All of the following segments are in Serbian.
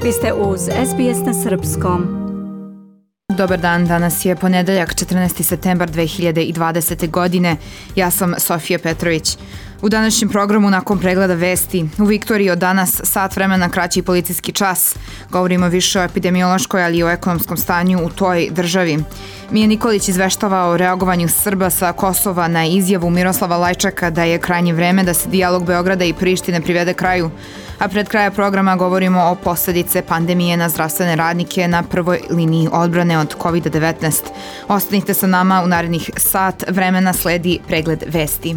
Vi ste uz SBS na Srpskom. Dobar dan, danas je ponedeljak 14. septembar 2020. godine. Ja sam Sofija Petrović. U današnjem programu nakon pregleda vesti u Viktoriji od danas sat vremena kraći policijski čas. Govorimo više o epidemiološkoj, ali i o ekonomskom stanju u toj državi. Mija Nikolić izveštava o reagovanju Srba sa Kosova na izjavu Miroslava Lajčaka da je krajnje vreme da se dijalog Beograda i Prištine privede kraju. A pred kraja programa govorimo o posledice pandemije na zdravstvene radnike na prvoj liniji odbrane od COVID-19. Ostanite sa nama, u narednih sat vremena sledi pregled vesti.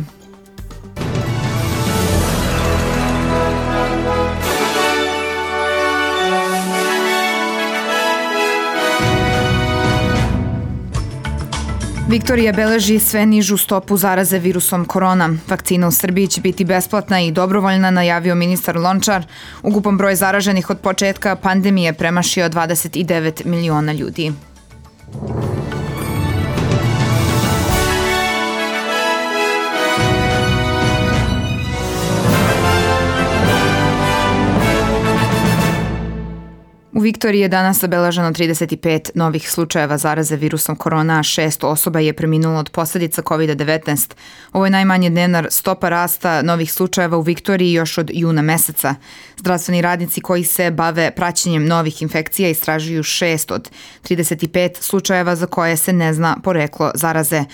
Viktorija beleži sve nižu stopu zaraze virusom korona. Vakcina u Srbiji će biti besplatna i dobrovoljna, najavio ministar Lončar. Ukupan broj zaraženih od početka pandemije premašio 29 miliona ljudi. U Viktoriji je danas zabeleženo 35 novih slučajeva zaraze virusom korona, a 6 osoba je preminulo od posljedica COVID-19. Ovo je najmanje dnevna stopa rasta novih slučajeva u Viktoriji još od juna meseca. Zdravstveni radnici koji se bave praćenjem novih infekcija istražuju 6 od 35 slučajeva za koje se ne zna poreklo zaraze.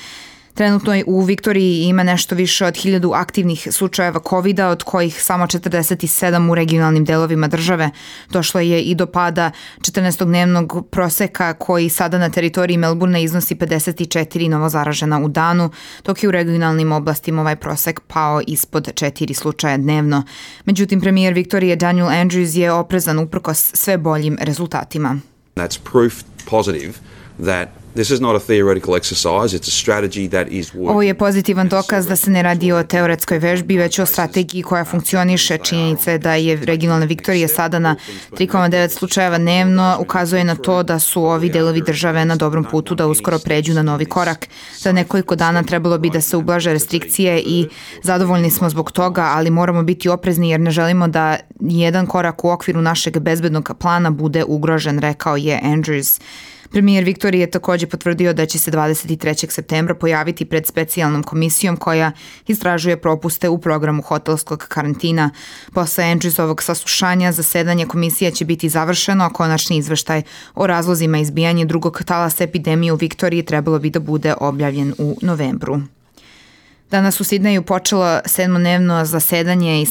Trenutno u Viktoriji ima nešto više od 1000 aktivnih slučajeva COVID-a, od kojih samo 47 u regionalnim delovima države. Došlo je i do pada 14-dnevnog proseka koji sada na teritoriji Melbourne iznosi 54 novozaražena u danu, dok je u regionalnim oblastima ovaj prosek pao ispod 4 slučaja dnevno. Međutim, premijer Viktorije Daniel Andrews je oprezan uprkos sve boljim rezultatima. That's proof positive that this is not a theoretical exercise, it's a strategy that is working. Ovo je pozitivan dokaz da se ne radi o teoretskoj vežbi, već o strategiji koja funkcioniše. Činjenica je da je regionalna Viktorija sada na 3,9 slučajeva dnevno ukazuje na to da su ovi delovi države na dobrom putu da uskoro pređu na novi korak. Za nekoliko dana trebalo bi da se ublaže restrikcije i zadovoljni smo zbog toga, ali moramo biti oprezni jer ne želimo da jedan korak u okviru našeg bezbednog plana bude ugrožen, rekao je Andrews. Premijer Viktorije je također potvrdio da će se 23. septembra pojaviti pred specijalnom komisijom koja istražuje propuste u programu hotelskog karantina. Posle Andrewsovog saslušanja zasedanje komisije će biti završeno, a konačni izveštaj o razlozima izbijanja drugog talasa epidemije u Viktoriji trebalo bi da bude objavljen u novembru. Danas u Sidneju počelo 7-dnevno zasedanje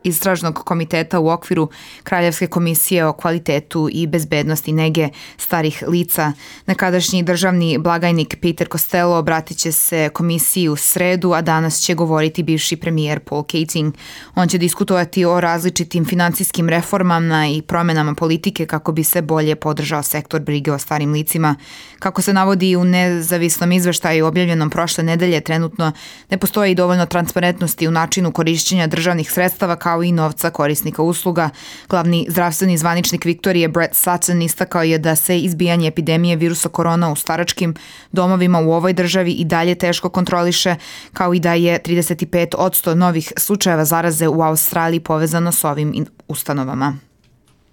istražnog komiteta u okviru Kraljevske komisije o kvalitetu i bezbednosti nege starih lica. Nekadašnji državni blagajnik Peter Costello obratit će se komisiji u sredu, a danas će govoriti bivši premijer Paul Keating. On će diskutovati o različitim financijskim reformama i promenama politike kako bi se bolje podržao sektor brige o starim licima. Kako se navodi u nezavisnom izveštaju objavljenom prošle nedelje, trenutno ne postoji dovoljno transparentnosti u načinu korišćenja državnih sredstava kao i novca korisnika usluga. Glavni zdravstveni zvaničnik Viktorije Brett Sutton istakao je da se izbijanje epidemije virusa korona u staračkim domovima u ovoj državi i dalje teško kontroliše, kao i da je 35% novih slučajeva zaraze u Australiji povezano s ovim ustanovama.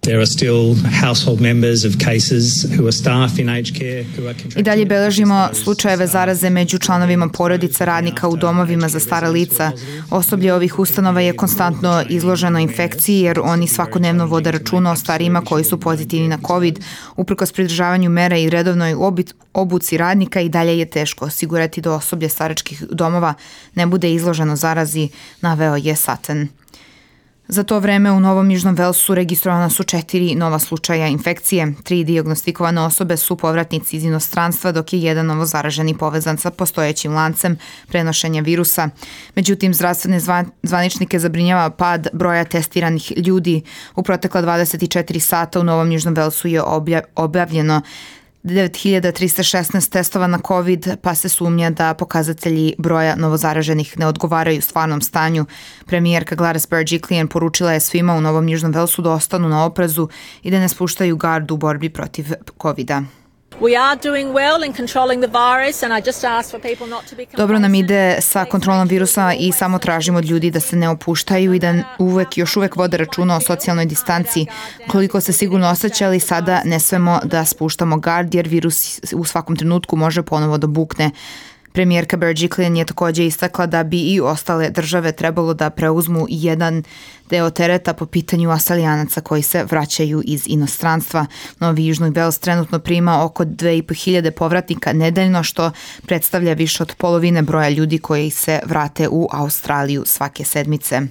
There are still household members of cases who are staff in aged care who are contracting. I dalje beležimo slučajeve zaraze među članovima porodica radnika u domovima za stara lica. Osoblje ovih ustanova je konstantno izloženo infekciji jer oni svakodnevno vode računa o starijima koji su pozitivni na COVID. Uprkos pridržavanju mera i redovnoj obuci radnika i dalje je teško osigurati da osoblje staračkih domova ne bude izloženo zarazi, naveo je Sutton. Za to vreme u Novom Južnom Velsu registrovana su 4 nova slučaja infekcije. 3 dijagnostikovane osobe su povratnici iz inostranstva, dok je jedan novozaraženi povezan sa postojećim lancem prenošenja virusa. Međutim, zdravstvene zvaničnike zabrinjava pad broja testiranih ljudi. U protekla 24 sata u Novom Južnom Velsu je objavljeno 9316 testova na COVID, pa se sumnja da pokazatelji broja novozaraženih ne odgovaraju stvarnom stanju. Premijerka Gladys Berejiklian poručila je svima u Novom Južnom Velsu da ostanu na oprezu i da ne spuštaju gardu u borbi protiv COVID-a. We are doing well in controlling the virus and I just ask for people not to be complacent. Dobro nam ide sa kontrolom virusa i samo tražimo od ljudi da se ne opuštaju i da još uvek vode računa o socijalnoj distanci. Koliko se sigurno osjećali, sada ne smemo da spuštamo gard jer virus u svakom trenutku može ponovo da bukne. Premijerka Berejiklian je također istakla da bi i ostale države trebalo da preuzmu jedan deo tereta po pitanju Australijanaca koji se vraćaju iz inostranstva. Novi Južni Wales trenutno prima oko 2500 povratnika nedeljno, što predstavlja više od polovine broja ljudi koji se vrate u Australiju svake sedmice.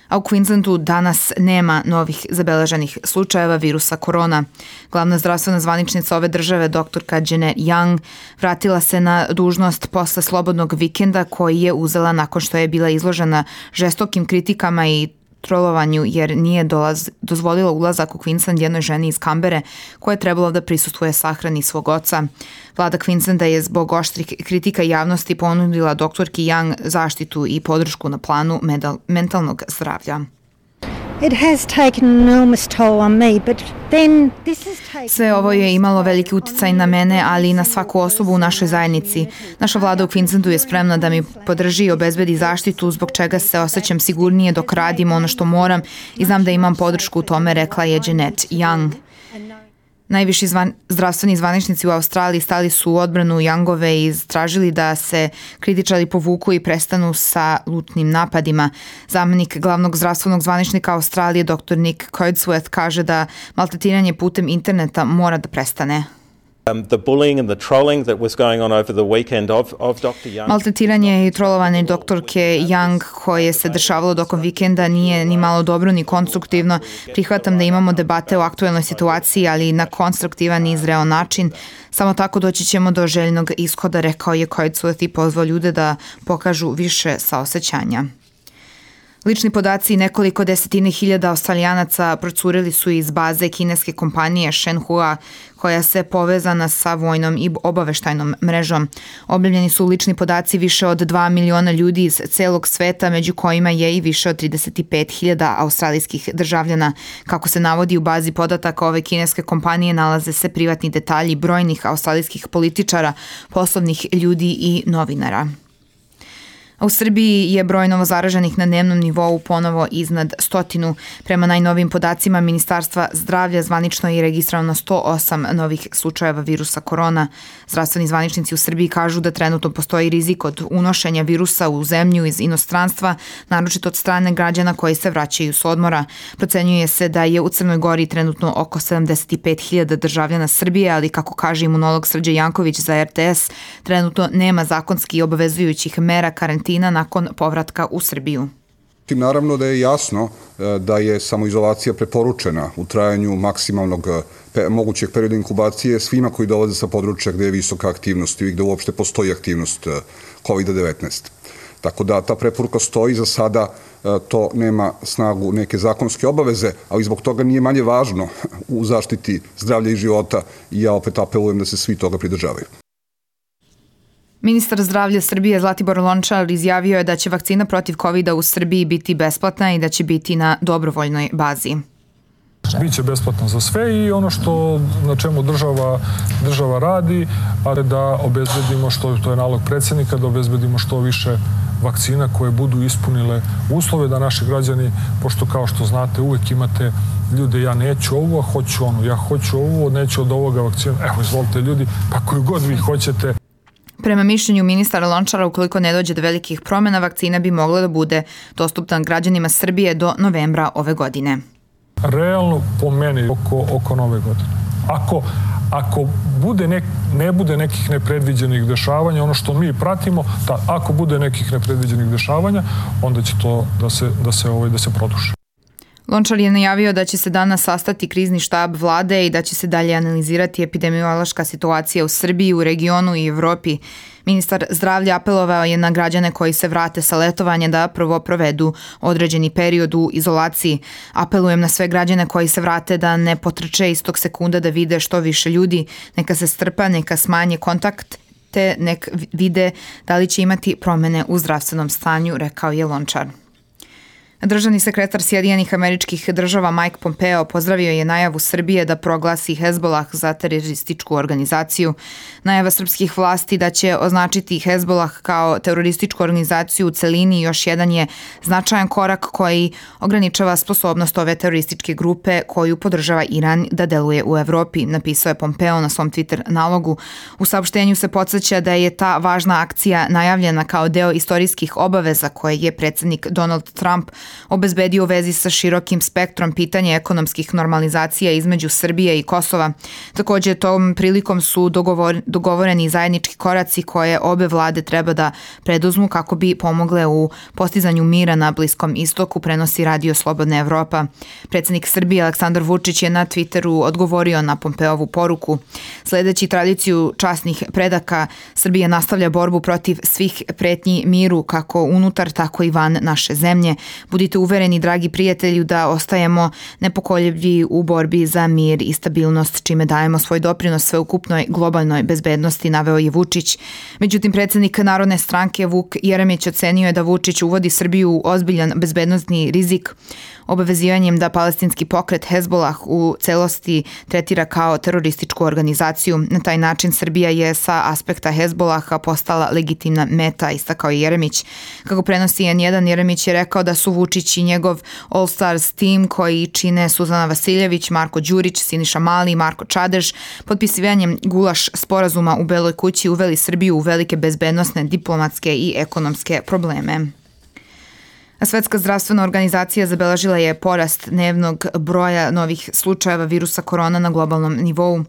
A u Queenslandu danas nema novih zabeleženih slučajeva virusa korona. Glavna zdravstvena zvaničnica ove države, doktorka Janet Young, vratila se na dužnost posle slobodnog vikenda koji je uzela nakon što je bila izložena žestokim kritikama i trolovanju jer nije dozvolila ulazak u Queensland jednoj ženi iz Kambere koja je trebala da prisustvuje sahrani svog oca. Vlada Queenslanda je zbog oštrih kritika javnosti ponudila doktorki Young zaštitu i podršku na planu mentalnog zdravlja. Sve ovo je imalo veliki uticaj na mene, ali i na svaku osobu u našoj zajednici. Naša vlada u Queenslandu je spremna da mi podrži i obezbedi zaštitu, zbog čega se osjećam sigurnije dok radim ono što moram i znam da imam podršku u tome, rekla je Janet Young. Najviši zdravstveni zvaničnici u Australiji stali su u odbranu Youngove i tražili da se kritičari povuku i prestanu sa lutnim napadima. Zamenik glavnog zdravstvenog zvaničnika Australije, dr. Nick Codsworth, kaže da maltretiranje putem interneta mora da prestane. The bullying and the trolling that was going on over the weekend of Dr. Young. Maltretiranje i trolovanje doktorke Young koje se dešavalo tokom vikenda nije ni malo dobro ni konstruktivno. Prihvatam da imamo debate o aktuelnoj situaciji, ali na konstruktivan i zreo način. Samo tako doći ćemo do željenog ishoda, rekao je Codsworth i pozvao ljude da pokažu više saosećanja. Lični podaci nekoliko desetine hiljada Australijanaca procurili su iz baze kineske kompanije Shenhua, koja se povezana sa vojnom i obaveštajnom mrežom. Objavljeni su lični podaci više od 2 miliona ljudi iz celog sveta, među kojima je i više od 35.000 australijskih državljana. Kako se navodi u bazi podataka ove kineske kompanije, nalaze se privatni detalji brojnih australijskih političara, poslovnih ljudi i novinara. A u Srbiji je broj novozaraženih na dnevnom nivou ponovo iznad 100. Prema najnovijim podacima Ministarstva zdravlja zvanično je registrovano 108 novih slučajeva virusa korona. Zdravstveni zvaničnici u Srbiji kažu da trenutno postoji rizik od unošenja virusa u zemlju iz inostranstva, naročito od strane građana koji se vraćaju s odmora. Procenjuje se da je u Crnoj Gori trenutno oko 75.000 državljana Srbije, ali kako kaže imunolog Srđe Janković za RTS, trenutno nema zakonski obavezujućih mera karantina nakon povratka u Srbiju. Naravno da je jasno da je samoizolacija preporučena u trajanju maksimalnog mogućeg perioda inkubacije svima koji dolaze sa područja gde je visoka aktivnost i gde uopšte postoji aktivnost COVID-19. Tako da ta preporuka stoji, za sada to nema snagu neke zakonske obaveze, ali zbog toga nije manje važno u zaštiti zdravlja i života i ja opet apelujem da se svi toga pridržavaju. Ministar zdravlja Srbije Zlatibor Lončar izjavio je da će vakcina protiv COVID-a u Srbiji biti besplatna i da će biti na dobrovoljnoj bazi. Biće besplatno za sve i ono što na čemu država radi, a da obezbedimo, što to je nalog predsjednika, da obezbedimo što više vakcina koje budu ispunile uslove da naši građani, pošto kao što znate uvek imate ljude, ja neću ovo, a hoću ono, ja hoću ovo, neću od ovoga vakcinu, evo izvolite ljudi, pa koju god vi hoćete. Prema mišljenju ministara Lončara, ukoliko ne dođe do velikih promjena, vakcina bi mogla da bude dostupna građanima Srbije do novembra ove godine. Realno po meni oko nove godine. Ako ne bude nekih nepredviđenih dešavanja, ono što mi pratimo, ako bude nekih nepredviđenih dešavanja, onda će to da se produši. Lončar je najavio da će se danas sastati krizni štab vlade i da će se dalje analizirati epidemiološka situacija u Srbiji, u regionu i Evropi. Ministar zdravlja apelovao je na građane koji se vrate sa letovanja da prvo provedu određeni period u izolaciji. Apelujem na sve građane koji se vrate da ne potrče istog sekunda da vide što više ljudi, neka se strpa, neka smanje kontakt, te nek vide da li će imati promene u zdravstvenom stanju, rekao je Lončar. Državni sekretar Sjedinjenih Američkih Država Mike Pompeo pozdravio je najavu Srbije da proglasi Hezbollah za terorističku organizaciju. Najava srpskih vlasti da će označiti Hezbollah kao terorističku organizaciju u celini još jedan je značajan korak koji ograničava sposobnost ove terorističke grupe koju podržava Iran da deluje u Evropi, napisao je Pompeo na svom Twitter nalogu. U saopštenju se podsjeća da je ta važna akcija najavljena kao deo istorijskih obaveza koje je predsjednik Donald Trump obezbedio u vezi sa širokim spektrom pitanja ekonomskih normalizacija između Srbije i Kosova. Također tom prilikom su dogovoreni zajednički koraci koje obe vlade treba da preduzmu kako bi pomogle u postizanju mira na Bliskom istoku, prenosi Radio Slobodna Evropa. Predsjednik Srbije Aleksandar Vučić je na Twitteru odgovorio na Pompeovu poruku. Sledeći tradiciju časnih predaka, Srbija nastavlja borbu protiv svih pretnji miru kako unutar tako i van naše zemlje. Budite uvereni, dragi prijatelju, da ostajemo nepokoljebljivi u borbi za mir i stabilnost, čime dajemo svoj doprinos sveukupnoj globalnoj bezbednosti, naveo je Vučić. Međutim, predsjednik Narodne stranke Vuk Jeremić ocenio je da Vučić uvodi Srbiju u ozbiljan bezbednosni rizik obavezivanjem da palestinski pokret Hezbollah u celosti tretira kao terorističku organizaciju. Na taj način Srbija je sa aspekta Hezbollaha postala legitimna meta, istakao je Jeremić. Kako prenosi N1, Jeremić je rekao da su Vučić i njegov All Stars tim koji čine Suzana Vasiljević, Marko Đurić, Siniša Mali i Marko Čadež potpisivanjem Gulaš sporazuma u Beloj kući uveli Srbiju u velike bezbednosne, diplomatske i ekonomske probleme. Svetska zdravstvena organizacija zabeležila je porast dnevnog broja novih slučajeva virusa korona na globalnom nivou.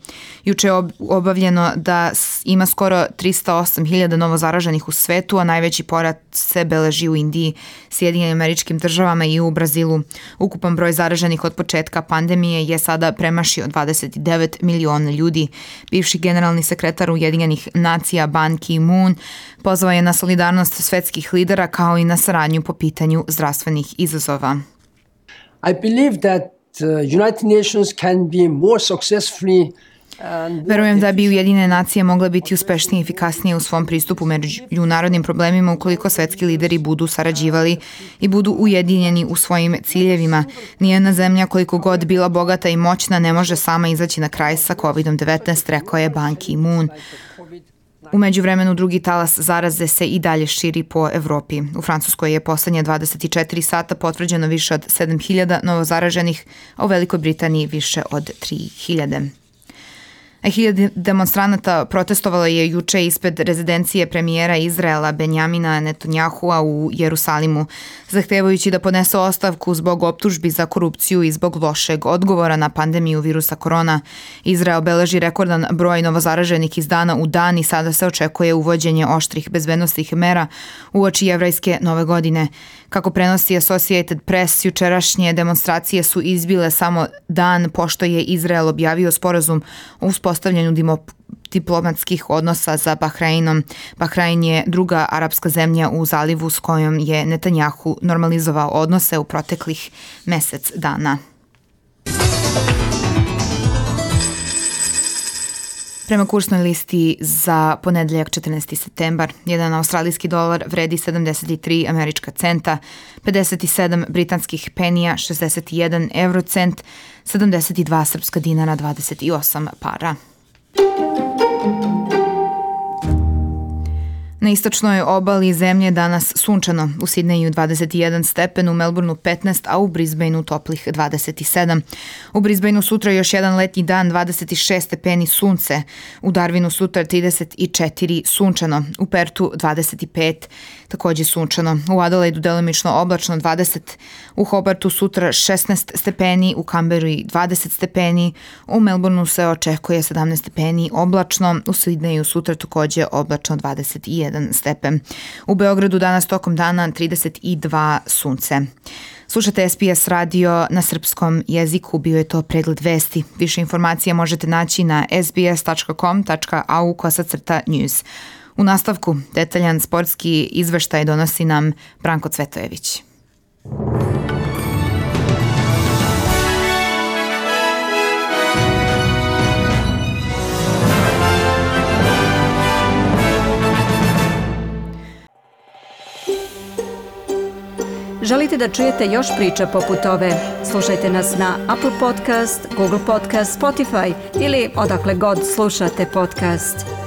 Juče je obavljeno da ima skoro 308.000 novo zaraženih u svetu, a najveći porast se beleži u Indiji, Sjedinjenim Američkim Državama i u Brazilu. Ukupan broj zaraženih od početka pandemije je sada premašio 29 miliona ljudi. Bivši generalni sekretar Ujedinjenih nacija Ban Ki-moon pozvao je na solidarnost svetskih lidera kao i na saradnju po pitanju zdravstvenih izazova. I believe that United Nations can be more successfully. Verujem da bi Ujedinjene nacije mogle biti uspešnije i efikasnije u svom pristupu međunarodnim problemima ukoliko svetski lideri budu sarađivali i budu ujedinjeni u svojim ciljevima. Nijedna zemlja, koliko god bila bogata i moćna, ne može sama izaći na kraj sa COVID-19, rekao je Ban Ki-moon. U međuvremenu drugi talas zaraze se i dalje širi po Evropi. U Francuskoj je poslednje 24 sata potvrđeno više od 7.000 novozaraženih, a u Velikoj Britaniji više od 3.000. 1.000 demonstranata protestovalo je juče ispred rezidencije premijera Izraela Benjamina Netanjahua u Jerusalimu, zahtevajući da podnese ostavku zbog optužbi za korupciju i zbog lošeg odgovora na pandemiju virusa korona. Izrael beleži rekordan broj novozaraženih iz dana u dan i sada se očekuje uvođenje oštrih bezbednosnih mera uoči jevrajske nove godine. Kako prenosi Associated Press, jučerašnje demonstracije su izbile samo dan pošto je Izrael objavio sporazum o uspostavljanju diplomatskih odnosa sa Bahreinom. Bahrein je druga arapska zemlja u zalivu s kojom je Netanjahu normalizovao odnose u proteklih mesec dana. Prema kursnoj listi za ponedeljak 14. septembar, jedan australijski dolar vredi 73 američka centa, 57 britanskih penija, 61 eurocent, 72 srpska dinara, 28 para. Na istočnoj obali zemlje danas sunčano, u Sidneju 21 stepen, u Melbourneu 15, a u Brisbaneu toplih 27. U Brisbaneu sutra još jedan letnji dan, 26 stepeni sunce, u Darwinu sutra 34 sunčano, u Pertu 25, takođe sunčano, u Adelaidu delimično oblačno 20, u Hobartu sutra 16 stepeni, u Canberri 20 stepeni, u Melbourneu se očekuje 17 stepeni oblačno, u Sidneju sutra takođe oblačno 21 stepen. U Beogradu danas tokom dana 32 sunce. Slušate SBS radio na srpskom jeziku, bio je to pregled vesti. Više informacija možete naći na sbs.com.au/news. U nastavku detaljan sportski izveštaj donosi nam Branko Cvetojević. Želite da čujete još priča poput ove? Slušajte nas na Apple Podcast, Google Podcast, Spotify ili odakle god slušate podcast.